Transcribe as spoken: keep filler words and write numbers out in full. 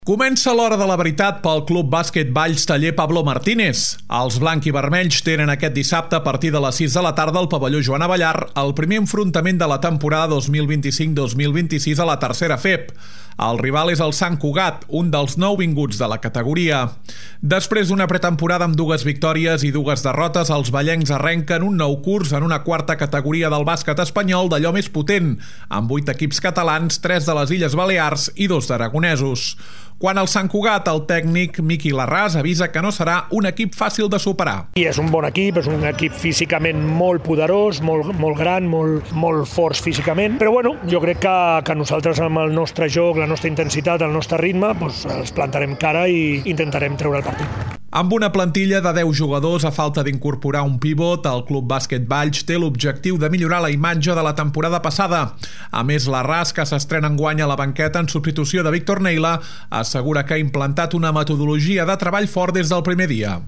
Comença l'hora de la veritat pel Club Bàsquet Valls Taller Pablo Martínez. Els blanc-i-vermells tenen aquest dissabte a partir de les sis de la tarda al pavelló Joan Abellar el primer enfrontament de la temporada dos mil vint-i-cinc dos mil vint-i-sis a la tercera F E P. El rival és el Sant Cugat, un dels nouvinguts de la categoria. Després d'una pretemporada amb dues victòries i dues derrotes, els vallencs arrenquen un nou curs en una quarta categoria del bàsquet espanyol d'allò més potent, amb vuit equips catalans, tres de les Illes Balears i dos d'aragonesos. Quan al Sant Cugat, el tècnic Miqui Larràs avisa que no serà un equip fàcil de superar. I és un bon equip, és un equip físicament molt poderós, molt, molt gran, molt, molt forts físicament, però bueno, jo crec que, que nosaltres amb el nostre joc, la nostra intensitat, el nostre ritme, doncs els plantarem cara i intentarem treure el partit. Amb una plantilla de deu jugadors a falta d'incorporar un pivot, el Club Bàsquet Valls té l'objectiu de millorar la imatge de la temporada passada. A més, Larràs, que s'estrena enguany a la banqueta en substitució de Víctor Neila, assegura que ha implantat una metodologia de treball fort des del primer dia.